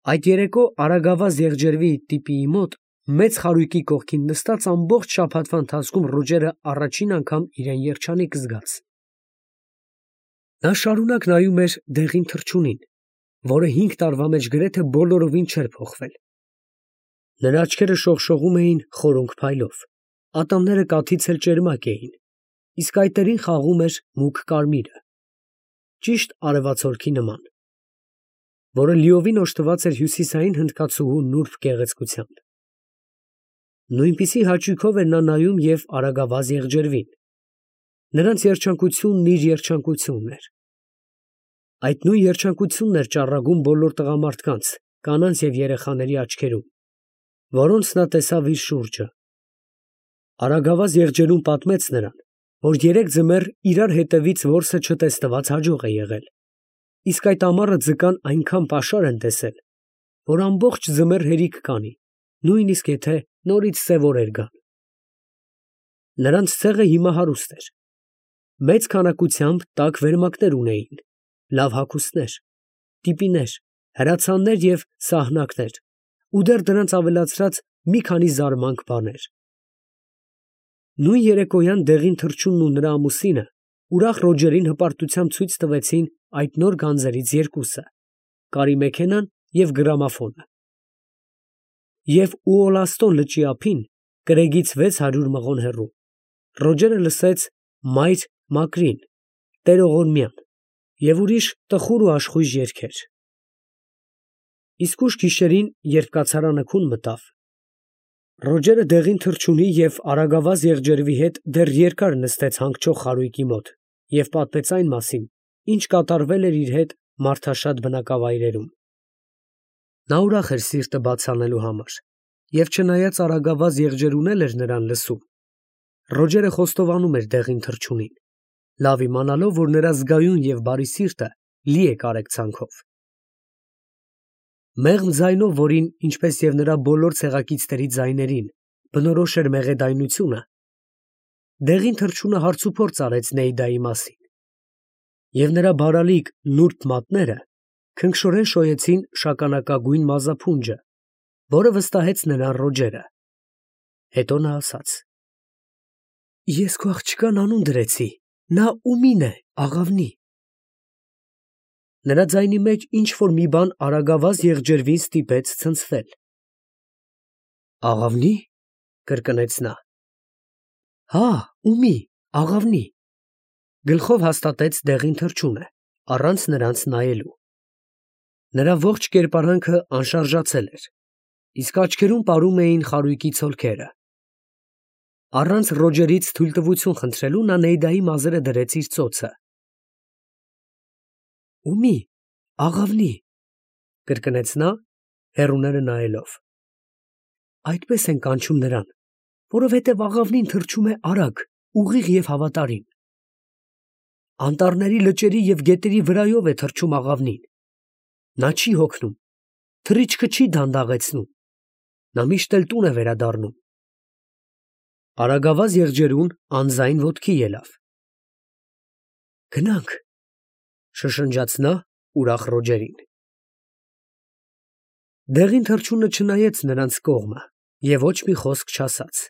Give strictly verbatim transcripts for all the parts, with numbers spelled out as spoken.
Այդ երեկո Արագավազ եղջերվի տիպիի մոտ մեծ խարույկի կողքին նստած ամբողջ շաբաթվա ընթացքում Ռոջերը առաջին անգամ իրան երջանիկ զգաց։ Նա շարունակ նայում էր դեղին թռչունին, որը հինգ տարվա մեջ գրեթե բոլորովին չէր փոխվել։ Նրա աչքերը շողշողում էին խորունգ փայլով, ատամները կաթից էլ ճերմակ էին, իսկ այտերին խաղում էր մուգ կարմիրը, ճիշտ արևածորքի նման, որը լիովին օժտված էր հյուսիսային հնդկացուհու նուրբ գեղեցկությամբ։ Նույնպիսի հաճույքով էր նա նայում և Արագավազ եղջերվին. նրանց երջանկությունն իր երջանկությունն էր։ Այդ նույն երջանկությունն էր ճառագում բոլոր տղամարդկանց, կանանց և երեխաների աչքերում, որոնց նա տեսավ իր շուրջը։ Արագավազ եղջերուն պատմեց նրան, որ երեք ձմեռ իրար հետևից որսը չտեսնված հաջող է եղել, իսկ այդ ամառը ձկան այնքան պաշար են տեսել, որ ամբողջ ձմեռ հերիք կանի, նույնիսկ եթե նորից սև օրեր գան։ Նրանց ցեղը հիմա հարուստ էր, մեծ քանակությամբ տաք վերմակներ ունեին, լավ հագուստներ, տիպիներ, հրացաններ և սահնակներ ու դեռ դրանց ավելացրած մի քանի զարմանք բաներ։ Նույն երեկոյան դեղին թռչունն ու նրա ամուսինը ուրախ Ռոջերին հպարտությամբ ցույց տվեցին այդ նոր գանձերից երկուսը՝ կարի մեքենան և գրամոֆոնը։ Եվ Ուոլաստոն լճի ափին, կրեգից վեց հարյուր մղոն հեռու, Ռոջերը լսեց մայր Մակրին, տերողորմյան և ուրիշ տխուր ու աշխույժ երգեր։ Իսկ ուշ գիշերին, երբ կացարանը քուն մտավ, Ռոջերը դեղին թռչունի և Արագավազ եղջերվի հետ դեռ երկար նստեց հանգչող խարույկի մոտ և պատմեց այն մասին, ինչ կատարվել էր իր հետ մարդաշատ բնակավայրերում։ Նա ուրախ էր սիրտը բաց անելու համար, և չնայած Արագավազ եղջերուն էլ էր նրան լսում, Ռոջերը խոստովանում էր դեղին թռչունին, լավ իմանալով, որ նրա զգայուն և բարի սիրտը լի է կարեկցանքով։ Մեղմ ձայնով, որին, ինչպես և նրա բոլոր ցեղակիցների ձայներին, բնորոշ էր մեղեդայնությունը, դեղին թռչունը հարցուփորձ արեց Նեիդայի մասին, և նրա բարալիկ նուրբ մատները քնքշորեն շոյեցին շագանակագույն մազափունջը, որը վստահեց նրան Ռոջերը։ Հետո նա ասաց. «Ես քո աղջկան անուն դրեցի, նա Ումին է, աղավնի»։ Նրա ձայնի մեջ ինչ֊որ մի բան Արագավազ եղջերվին ստիպեց ցնցվել։ «Աղավնի՞, ֊ կրկնեց նա։ ֊ Հա, Ումի, աղավնի, ֊ գլխով հաստատեց դեղին թռչունը, առանց նրանց նայելու։ Նրա ողջ կերպարանքը անշարժացել էր, իսկ աչքերում պարում էին խարույկի ցոլքերը։ Առանց Ռոջերից թույլտվություն խնդրելու նա Նեիդայի մազերը դրեց իր ծոցը։ «Ումի, աղավնի, ֊ կրկնեց նա, հեռուները նայելով։ ֊ Այդպես են կանչում նրան, որովհետև աղավնին թռչում է արագ, ուղիղ և հավատարիմ։ Անտառների, լճերի և գետերի վրայով է թռչում աղավնին, նա չի հոգնում, թռիչքը չի դանդաղեցնում, նա միշտ էլ տուն է վերադառնում»։ Արագավազ եղջերուն անձայն ոտքի ելավ։ «Գնա՛նք, ֊ շշնջաց նա ուրախ Ռոջերին։ Դեղին թռչունը չնայեց նրանց կողմը և ոչ մի խոսք չասաց։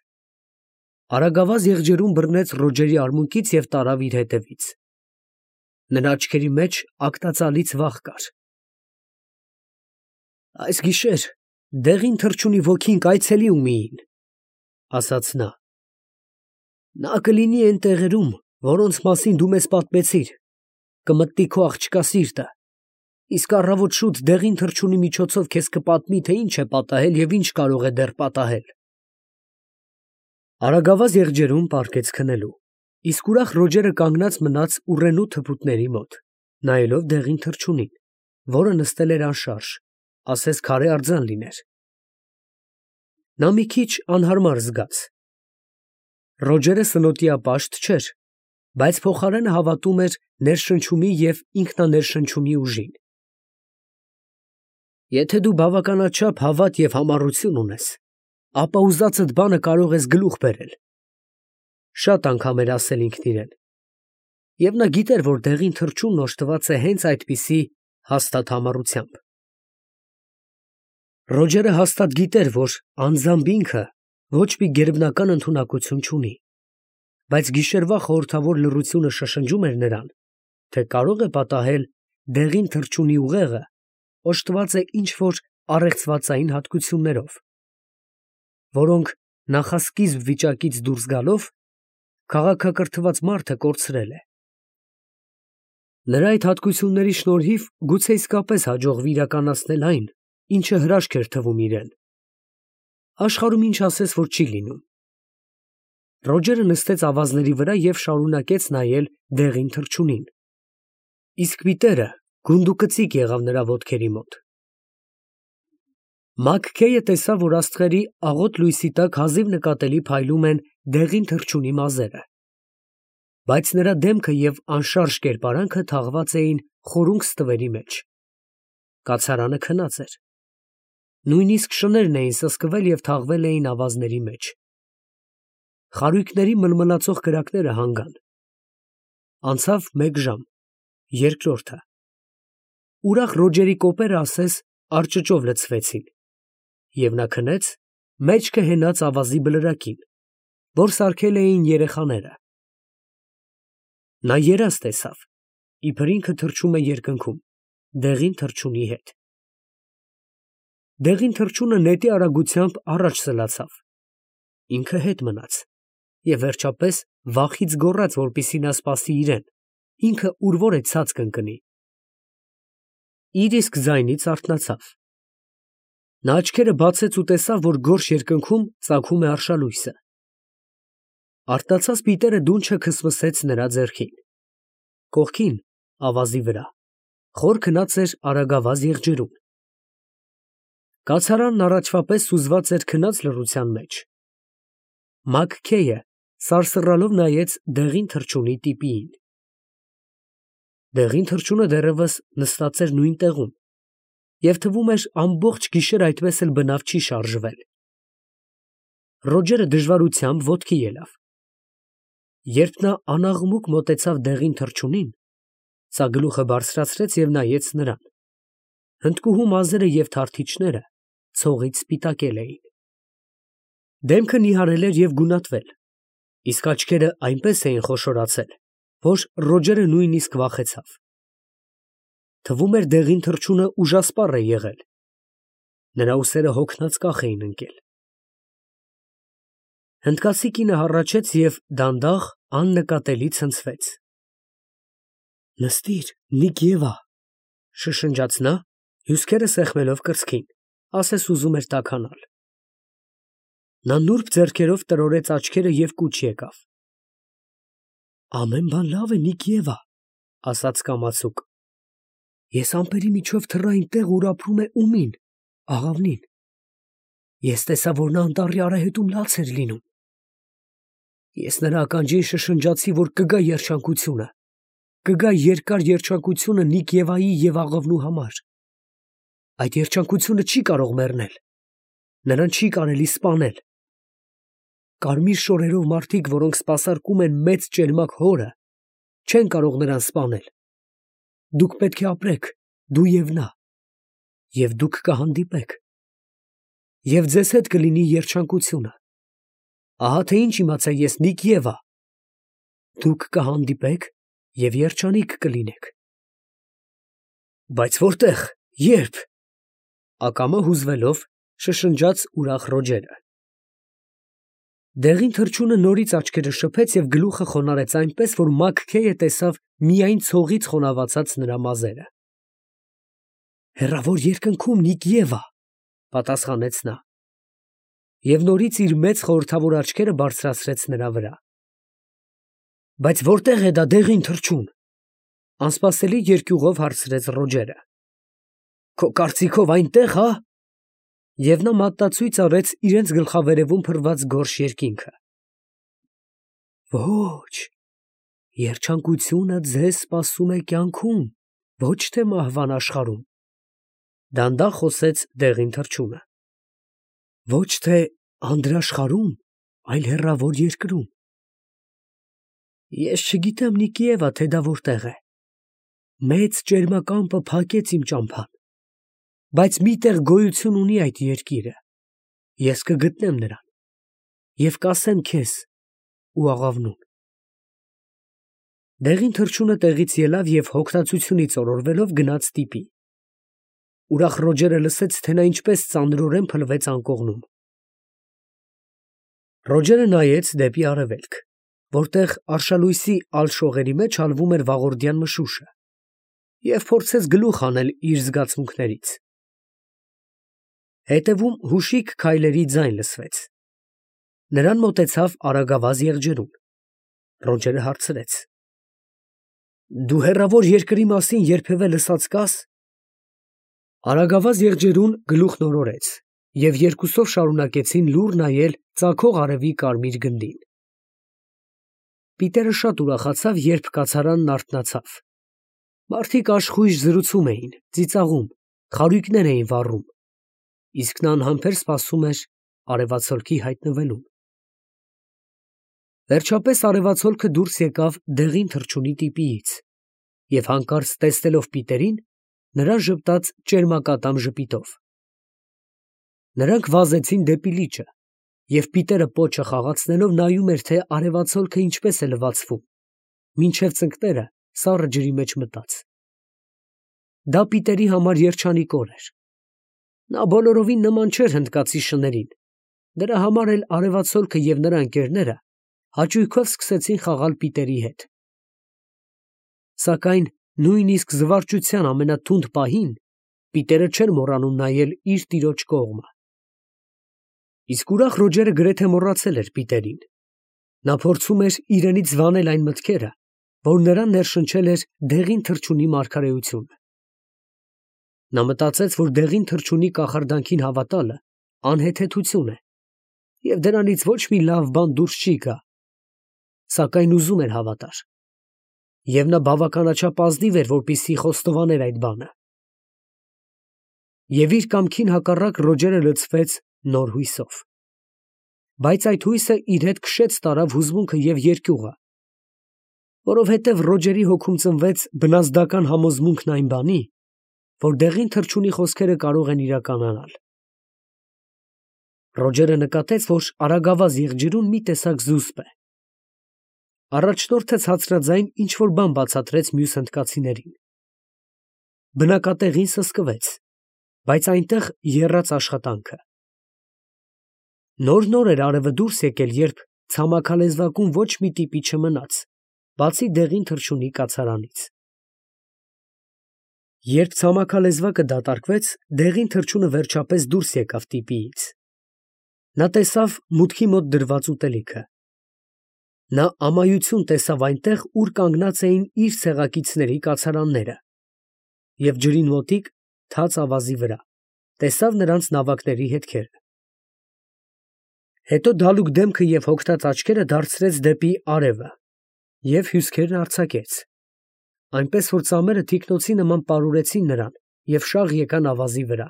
Արագավազ եղջերուն բռնեց Ռոջերի արմունկից և տարավ իր հետևից։ Նրա աչքերի մեջ ագտածալից վախ կար։ «Այս գիշեր դեղին թռչունի ոգին կայցելի Ումիին, ֊ ասաց նա. ֊ նա կլինի էն տեղերում, որոնց մասին դու մեզ պատմեցիր, կմտնի քո աղջկա սիրտը, իսկ առավոտ շուտ դեղին թռչունի միջոցով քեզ կպատմի, թե ինչ է պատահել և ինչ կարող է դեռ պատահել»։ Արագավազ եղջերուն պառկեց քնելու, իսկ ուրախ Ռոջերը կանգնած մնաց ուռենու թփուտների մոտ, նայելով դեղին թռչունին, որը նստել էր անշարժ, ասես քարե արձան լիներ։ Նա մի քիչ անհարմար զգաց։ Ռոջերը սնոտիապաշտ չէր, բայց փոխարենը հավատում էր ներշնչումի և ինքնաներշնչումի ուժին։ «Եթե դու բավականաչափ հավատ և համառություն ունես, ապա ուզածդ բանը կարող ես գլուխ բերել, ֊ շատ անգամ էր ասել ինքն իրան, և նա գիտեր, որ դեղին թռչունն օժտված է հենց այդպիսի հաստատ համառությամբ։ Ռոջերը հաստատ գիտեր, որ անձամբ ինքը ոչ մի գերբնական ընդունակություն չունի, բայց գիշերվա խորհրդավոր լռությունը շշնջում էր նրան, թե կարող է պատահել դեղին թռչունի ուղեղը օժտված է ինչ-որ առեղծվածային հատկություններով, որոնք նախասկիզբ վիճակից դուրս գալով քաղաքակրթված մարդը կորցրել է։ Նրա այդ հատկությունների շնորհիվ գուցե իսկապես հաջողվի իրականացնել այն, ինչը հրաշք էր թվում իրեն։ Աշխարհում ինչ ասես, որ չի լինում։ Ռոջերը նստեց ավազների վրա և շարունակեց նայել դեղին թռչունին։ Իսկ Պիտերը գունդուկծիկ եղավ նրա ոտքերի մոտ։ Մաքքեյը տեսավ, որ աստղերի աղոտ լույսի տակ հազիվ նկատելի փայլում են դեղին թռչունի մազերը, բայց նրա դեմքը և անշարժ կերպարանքը թաղված էին խորունգ ստվերի մեջ։ Կացարանը քնած էր։ Նույնիսկ շներն էին սսկվել և թաղվել էին ավազների մեջ։ Խարույկների մլմլացող կրակները հանգան։ Անցավ մեկ ժամ, երկրորդը։ Ուրախ Ռոջերի կոպերը ասես արճճով լցվեցին, և նա քնեց մեջքը հենած ավազի բլրակին, որ սարքել էին երեխաները։ Նա երազ տեսավ, իբր ինքը թռչում է երկնքում, դեղին թռչունի հետ։ Դեղին թռչունը նետի արագությամբ առաջ սլացավ, ինքը հետ մնաց, և վերջապես վախից գոռաց, որպեսզի նա սպասի իրեն, ինքը ուր որ է ցած կընկնի։ Իր իսկ ձայնից արթնացավ։ Նա աչքերը բացեց ու տեսավ, որ գորշ երկնքում ծագում է արշալույսը։ Արթնացած Պիտերը դունչը քսմսեց նրա ձեռքին։ Կողքին, ավազի վրա, խոր քնած էր արագավազ եղջերուն։ Կացարանն առաջվա պես սուզված էր քնած լռության մեջ։ Մաքքեյը սարսռալով նայեց դեղին թռչունի տիպիին։ Դեղին թռչունը դեռևս նստած էր նույն տեղում, և թվում էր ամբողջ գիշեր այդպես էլ բնավ չի շարժվել։ Ռոջերը դժվարությամբ ոտքի ելավ։ Երբ նա անաղմուկ մոտեցավ դեղին թռչունին, սա գլուխը բարձրացրեց և նայեց նրան։ Հնդկուհու մազերը և թարթիչները ցողից սպիտակել էին։ Դեմքը նիհարել էր և գունատվել, իսկ աչքերը այնպես էին խոշորացել, որ Ռոջերը նույնիսկ վախեցավ։ Թվում էր դեղին թռչունը ուժասպառ է եղել։ Նրա ուսերը հոգնած կախ էին ընկել։ Հնդկացի կինը հառաչեց և դանդաղ, աննկատելի ցնցվեց։ «Նստիր, Նիկիևա», շշնջաց նա, հյուսքերը սեղմելով կրծքին, ասես ուզում էր տաքանալ։ Նա նուրբ ձեռքերով տրորեց աչքերը և կուչ եկավ։ «Ամեն բան լավ է, Նիկիևա», ասաց կամացուկ։ «Ես ամպերի միջով թռա այնտեղ, ուր ապրում է Ումին, աղավնին։ Ես տեսա, որ նա անտառի արահետում լաց էր լինում։ Ես նրա ականջին շշնջացի, որ կգա երջանկությունը, կգա երկար երջանկությունը Նիկիևայի և աղավնու համար։ Այդ երջանկությունը չի կարող մեռնել, նրան չի կարելի սպանել։ Կարմիր շորերով մարդիկ, որոնք սպասարկում են մեծ ճերմակ հորը, չեն կարող նրան սպանել։ Դուք պետք է ապրեք, դու և նա, և դուք կհանդիպեք, և ձեզ հետ կլինի երջանկությունը։ Ահա թե ինչ իմացա ես, Նիկիևա. դուք կհանդիպեք և երջանիկ կլինեք»։ «Բայց որտե՞ղ, ե՞րբ», ակամա հուզվելով շշնջաց ուրախ Ռոջերը։ Դեղին թռչունը նորից աչքերը շփեց և գլուխը խոնարհեց այնպես, որ Մաքքեյը տեսավ միայն ցողից խոնավացած նրա մազերը։ «Հեռավոր երկնքում, Նիկիևա», պատասխանեց նա, և նորից իր մեծ խորհրդավոր աչքերը բարձրացրեց նրա վրա։ «Բայց որտե՞ղ է դա, դեղին թռչուն», անսպասելի երկյուղով հարցրեց Ռոջերը։ «Քո կարծիքով այնտե՞ղ, հա»։ Եվ նա մատնացույց արեց իրենց գլխավերևում փռված գորշ երկինքը։ «Ոչ, երջանկությունը ձեզ սպասում է կյանքում, ոչ թե մահվան աշխարհում», դանդաղ խոսեց դեղին թռչունը։ «Ոչ թե անդրաշխարհում, այլ հեռավոր երկրում։ Ես չգիտեմ, Նիկիևա, թե դա որտեղ է։ Մեծ ճերմակ ամպը փակեց իմ ճամփան։ Բայց միտեղ գոյություն ունի այդ երկիրը, ես կգտնեմ նրան և կասեմ քեզ ու աղավնուն։ Դեղին թռչունը տեղից ելավ և հոգնածությունից օրորվելով գնաց տիպի։ Ուրախ Ռոջերը լսեց, թե նա ինչպես ծանրորեն փլվեց անկողնում։ Ռոջերը նայեց դեպի արևելք, որտեղ արշալույսիալ շողերի մեջ հալվում էր վաղորդյան մշուշը, և փորձեց գլուխ հանել իր զգացմունքներից։ Հետևում հուշիկ քայլերի ձայն լսվեց։ Նրան մոտեցավ արագավազ եղջերուն։ Ռոջերը հարցրեց. «Դու հեռավոր երկրի մասին երբևէ լսած կաս»։ Արագավազ եղջերուն գլուխն օրորեց, և երկուսով շարունակեցին լուռ նայել ծագող արևի կարմիր գնդին։ Պիտերը շատ ուրախացավ, երբ կացարանն արթնացավ։ Մարդիկ աշխույժ զրուցում էին, ծիծաղում, խարույկներ էին վառում, իսկ նա անհամբեր սպասում էր արևածագի հայտնվելուն։ Վերջապես արևածագը դուրս եկավ դեղին թռչունի տիպիից, և հանկարծ տեսնելով Պիտերին, նրան ժպտաց ճերմակատամ ժպիտով։ Նրանք վազեցին դեպի լիճը, և Պիտերը պոչը խաղացնելով նայում էր, թե արևածագը ինչպես է լվացվում, մինչև ծնկները սառը ջրի մեջ մտած։ Դա Պիտերի համար երջանիկ օր էր։ Նա բոլորովին նման չէր հնդկացի շներին, դրա համար էլ արևածագը և նրա ընկերները հաճույքով սկսեցին խաղալ Պիտերի հետ։ Սակայն նույնիսկ զվարճության ամենաթունդ պահին Պիտերը չէր մոռանում նայել իր տիրոջ կողմը։ Իսկ ուրախ Ռոջերը գրեթե մոռացել էր Պիտերին։ Նա փորձում էր իրենից վանել այն մտքերը, որ նրան ներշնչել էր դեղին թռչունի մարգարեությունը։ Նա մտածեց, որ դեղին թռչունի կախարդանքին հավատալը անհեթեթություն է, և դրանից ոչ մի լավ բան դուրս չի գա, սակայն ուզում էր հավատալ։ Եվ նա բավականաչափ ազնիվ էր, որպեսզի խոստովաներ այդ բանը։ Եվ իր կամքին հակառակ Ռոջերը լցվեց նոր հույսով։ Բայց այդ հույսը իր հետ քշեց տարավ հուզմունքը և երկյուղը, որովհետև Ռոջերի հոգում ծնվեց բնազդական համոզմունքն այն բանի, որ դեղին թռչունի խոսքերը կարող են իրականանալ։ Ռոջերը նկատեց, որ արագավազ եղջերուն մի տեսակ զուսպ է։ Առաջնորդը ցածրաձայն ինչ֊որ բան բացատրեց մյուս հնդկացիներին։ Բնակատեղին սսկվեց, բայց այնտեղ եռաց աշխատանքը։ Նոր֊նոր էր արևը դուրս եկել, երբ ցամաքալեզվակում ոչ մի տիպի չմնաց, բացի դեղին թռչունի կացարանից։ Երբ ցամաքալեզվակը դատարկվեց, դեղին թռչունը վերջապես դուրս եկավ տիպիից։ Նա տեսավ մուտքի մոտ դրված ուտելիքը։ Նա ամայություն տեսավ այնտեղ, ուր կանգնած էին իր ցեղակիցների կացարանները, և ջրին մոտիկ, թաց ավազի վրա, տեսավ նրանց նավակների հետքերը։ Հետո դալուկ դեմքը և հոգնած աչքերը դարձրեց դեպի արևը և հյուսքերն արձակեց, այնպես որ ծամերը թիկնոցի նման պարուրեցին նրան և շաղ եկան ավազի վրա։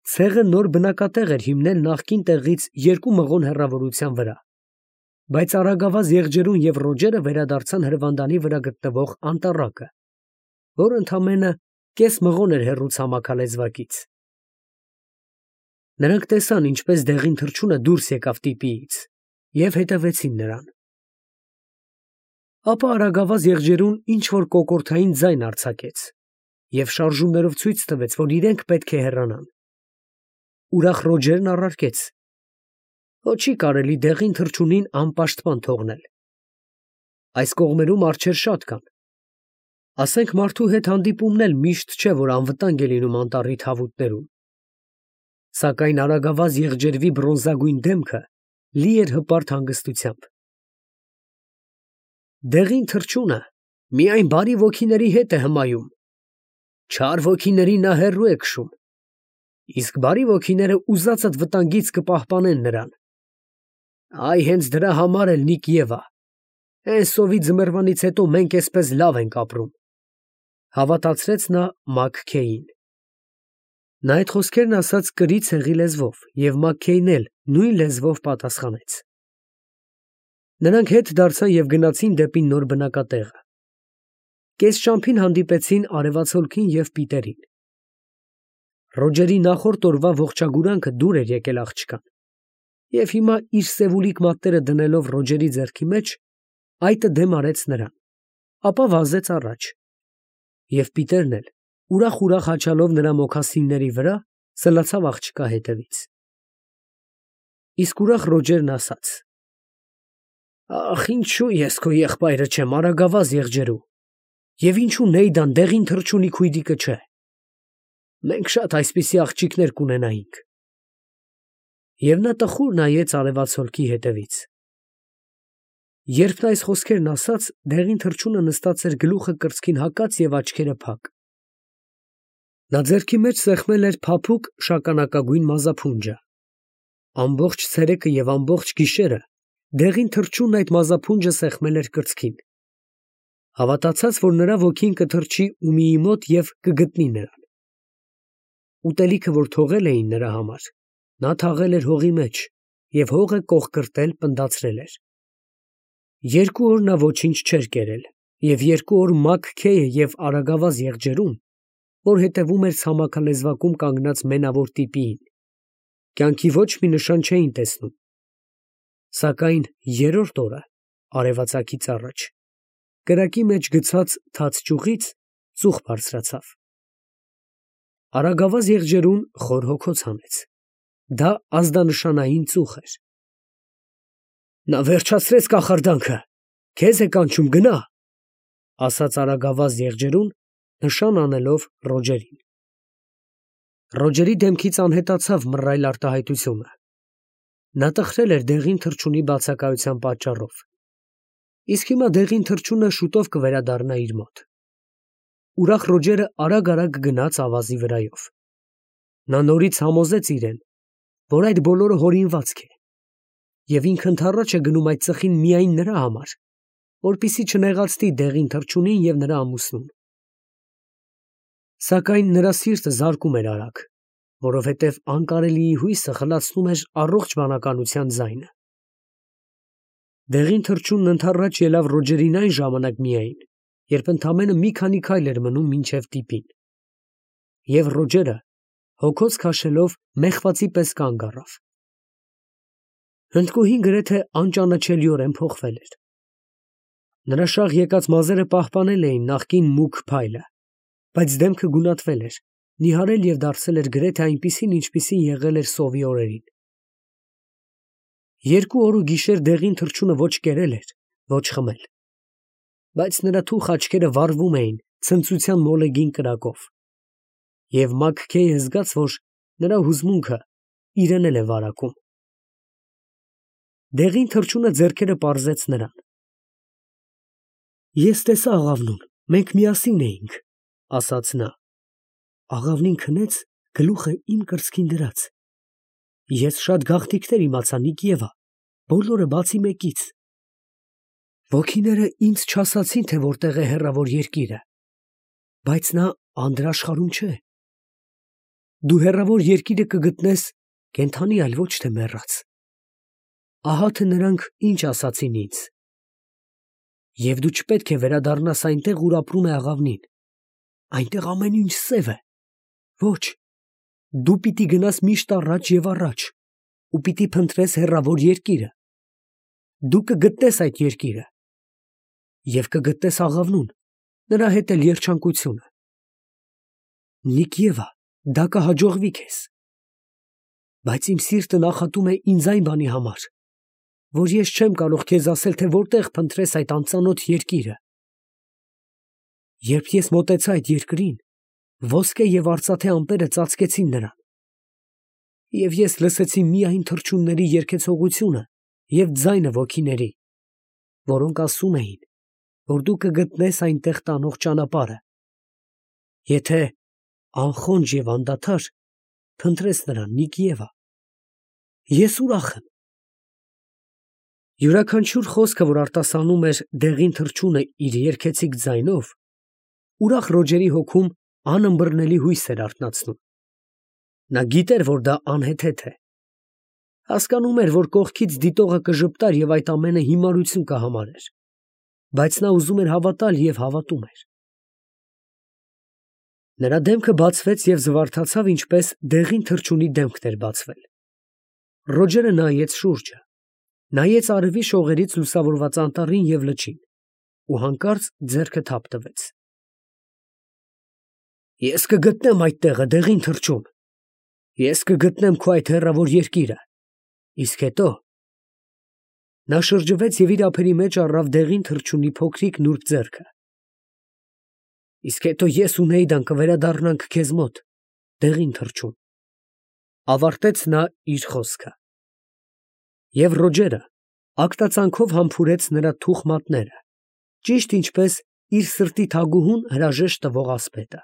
Ցեղը նոր բնակատեղ էր հիմնել նախկին տեղից երկու մղոն հեռավորության վրա, բայց արագավազ եղջերուն և Ռոջերը վերադարձան հրվանդանի վրա գտնվող անտառակը, որ ընդամենը կես մղոն էր հեռու ցամաքալեզվակից։ Նրանք տեսան, ինչպես դեղին թռչունը դուրս եկավ տիպիից, և հետևեցին նրան։ Ապա արագավազ եղջերուն ինչ֊որ կոկորդային ձայն արձակեց և շարժումներով ցույց տվեց, որ իրենք պետք է հեռանան։ Ուրախ Ռոջերն առարկեց. «Հո չի կարելի դեղին թռչունին անպաշտպան թողնել։ Այս կողմերում արջեր շատ կան։ Ասենք մարդու հետ հանդիպումն էլ միշտ չէ, որ անվտանգ է լինում անտառի թավուտներում»։ Սակայն արագավազ եղջերվի բրոնզագույն դեմքը լի էր հպարտ հանգստությամբ։ Դեղին թռչունը միայն բարի ոգիների հետ է հմայում, չար ոգիներին նա հեռու է քշում, իսկ բարի ոգիները ուզածդ վտանգից կպահպանեն նրան։ Այ հենց դրա համար էլ Նիկ֊Եվա, հենց սովի ձմեռվանից հետո մենք էսպես լավ ենք ապրում, ֊ հավատացրեց նա Մաքքեյին։ Նա այդ խոսքերն ասաց կրի ցեղի լեզվով, և Մաքքեյն էլ նույն լեզվով պատասխանեց։ Նրանք հետ դարձան և գնացին դեպի նոր բնակատեղը։ Կես ճամփին հանդիպեցին արևածագին և Պիտերին, Ռոջերի նախորդ օրվա ողջագուրանքը դուր էր եկել աղջկան, և հիմա իր սևուլիկ մատները դնելով Ռոջերի ձեռքի մեջ, այտը դեմ արեց նրան, ապա վազեց առաջ, և Պիտերն էլ, ուրախ֊ուրախ հաչալով նրա մոքասինների վրա, սլացավ աղջկա հետևից։ Իսկ ուրախ Ռոջերն ասաց. «Ախ, ինչո՞ւ ես քո եղբայրը չեմ, արագավազ եղջերու, և ինչո՞ւ Նեյդան դեղին թռչունի քույրիկը չէ. մենք շատ այսպիսի աղջիկներ կունենայինք»։ Եվ նա տխուր նայեց արևածագի հետևից։ Երբ նա այս խոսքերն ասաց, դեղին թռչունը նստած էր գլուխը կրծքին հակած և աչքերը փակ։ Նա ձեռքի մեջ սեղմել էր փափուկ շագանակագույն մազափունջը։ Ամբողջ ցերեկը և ամբողջ գիշերը դեղին թռչունն այդ մազափունջը սեղմել էր կրծքին, հավատացած, որ նրա ոգին կթռչի Ումիի մոտ և կգտնի նրան։ Ուտելիքը, որ թողել էին նրա համար, նա թաղել էր հողի մեջ և հողը կոխկրտել պնդացրել էր։ Երկու օր նա ոչինչ չէր կերել, և երկու օր Մաքքեյը և արագավազ եղջերուն, որ հետևում էր ցամաքալեզվակում կանգնած մենավոր տիպիին, կյանքի ոչ մի նշան չէին տեսնում։ Սակայն երրորդ օրը, արևածագից առաջ, կրակի մեջ գցած թաց ճյուղից ծուխ բարձրացավ։ Արագավազ եղջերուն խոր հոգոց հանեց։ Դա ազդանշանային ծուխ էր։ «Նա վերջացրեց կախարդանքը, քեզ է կանչում, գնա», ասաց արագավազ եղջերուն, նշան անելով Ռոջերին։ Ռոջերի դեմքից անհետացավ մռայլ արտահայտությունը։ Նա տխրել էր դեղին թռչունի բացակայության պատճառով, իսկ հիմա դեղին թռչունը շուտով կվերադառնա իր մոտ։ Ուրախ Ռոջերը արագ֊արագ գնաց ավազի վրայով։ Նա նորից համոզեց իրեն, որ այդ բոլորը հորինվածք է, և ինքը ընդառաջ է գնում այդ ծխին միայն նրա համար, որպեսզի չնեղացնի դեղին թռչունին և նրա ամուսնուն։ Սակայն նրա սիրտը զարկում էր արագ, որովհետև անկարելիի հույսը խլացնում էր առողջ բանականության ձայնը։ Դեղին թռչունն ընդառաջ ելավ Ռոջերին այն ժամանակ միայն, երբ ընդամենը մի քանի քայլ էր մնում մինչև տիպին, և Ռոջերը, հոգոց քաշելով, մեղվածի պես կանգ առավ։ Հնդկուհին գրեթե անճանաչելիորեն փոխվել էր։ Նրա շաղ եկած մազերը պահպանել էին նախկին մուգ փայլը, բայց դեմքը գունատվել էր, նիհարել և դարձել էր գրեթե այնպիսին, ինչպիսին եղել էր սովի օրերին։ Երկու օր ու գիշեր դեղին թռչունը ոչ կերել էր, ոչ խմել, բայց նրա թուխ աչքերը վառվում էին ցնծության մոլեգին կրակով, և Մաքքեյը զգաց, որ նրա հուզմունքը իրեն էլ է վարակում։ Դեղին թռչունը ձեռքերը պարզեց նրան։ «Ես տեսա աղավնուն, մենք միասին էինք», ասաց նա։ «Աղավնին քնեց, գլուխը իմ կրծքին դրած։ Ես շատ գաղտնիքներ իմացա, Նիկիևա, բոլորը բացի մեկից։ Ոգիները ինձ չասացին, թե որտեղ է հեռավոր երկիրը, բայց նա անդրաշխարհում չէ։ Դու հեռավոր երկիրը կգտնես կենդանի, այլ ոչ թե մեռած։ Ահա թե նրանք ինչ ասացին ինձ. և դու չպետք է վերադառնաս այնտեղ, ուր ապրում է աղավնին, այնտեղ ամեն ինչ սև է։ Ոչ, դու պիտի գնաս միշտ առաջ և առաջ ու պիտի փնտրես հեռավոր երկիրը։ Դու կգտնես այդ երկիրը և կգտնես աղավնուն, նրա հետ էլ երջանկությունը։ Նիկիևա, դա կհաջողվի քեզ։ Բայց իմ սիրտը նախատում է ինձ այն բանի համար, որ ես չեմ կարող քեզ ասել, թե որտեղ փնտրես այդ անծանոթ երկիրը։ Երբ ես մոտեցա այդ երկրին, ոսկե և արծաթե ամպերը ծածկեցին նրան, և ես լսեցի միայն թռչունների երգեցողությունը և ձայնը ոգիների, որոնք ասում էին, որ դու կգտնես այնտեղ տանող ճանապարհը, եթե անխոնջ և անդադար փնտրես նրան, Նիկիևա։ Ես ուրախ եմ»։ Յուրաքանչյուր խոսքը, որ արտասանում էր դեղին թռչունը իր երգեցիկ ձայնով, ուրախ Ռոջերի հոգում անըմբռնելի հույս էր արթնացնում։ Նա գիտեր, որ դա անհեթեթ է։ Հասկանում էր, որ կողքից դիտողը կժպտար և այդ ամենը հիմարություն կհամարեր, բայց նա ուզում էր հավատալ և հավատում էր։ Նրա դեմքը բացվեց և զվարթացավ, ինչպես դեղին թռչունի դեմքն էր բացվել։ Ռոջերը նայեց շուրջը, նայեց արևի շողերից լուսավորված անտառին և լճին ու հանկարծ ձեռքը թափ տվեց։ Ես կգտնեմ այդ տեղը, դեղին թռչուն, ես կգտնեմ քո այդ հեռավոր երկիրը, իսկ հետո… Նա շրջվեց և իր ափերի մեջ առավ դեղին թռչունի փոքրիկ նուրբ ձեռքը։ Իսկ հետո ես ու Նեյդան կվերադառնանք քեզ մոտ, դեղին թռչուն, ավարտեց նա իր խոսքը։ Եվ Ռոջերը ակտածանքով համբուրեց նրա թուխ մատները, ճիշտ ինչպես իր սրտի թագուհուն հրաժեշտ տվող ասպետը։